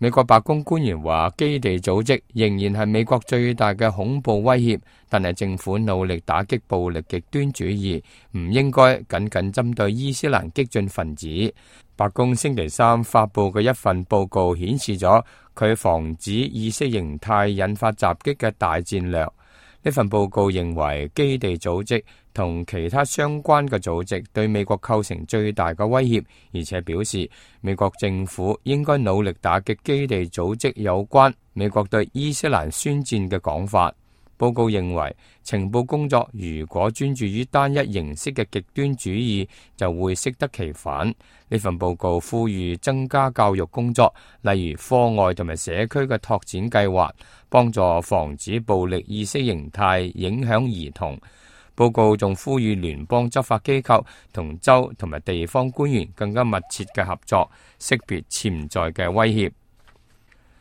美國白宮官員話，基地組織仍然係美國最大嘅恐怖威脅，但係政府努力打擊暴力極端主義，唔應該僅僅針對伊斯蘭激進分子。白宮星期三發佈嘅一份報告顯示咗佢防止意識形態引發襲擊嘅大戰略。呢份報告認為，基地組織同其他相關嘅組織對美國構成最大嘅威脅，而且表示美國政府應該努力打擊基地組織有關美國對伊斯蘭宣戰嘅講法。報告認為，情報工作如果專注於單一形式嘅極端主義，就會適得其反。呢份報告呼籲增加教育工作，例如課外同埋社區嘅拓展計劃，幫助防止暴力意識形態影響兒童。報告仲呼籲聯邦執法機構同州同埋地方官員更加密切嘅合作，識別潛在嘅威脅。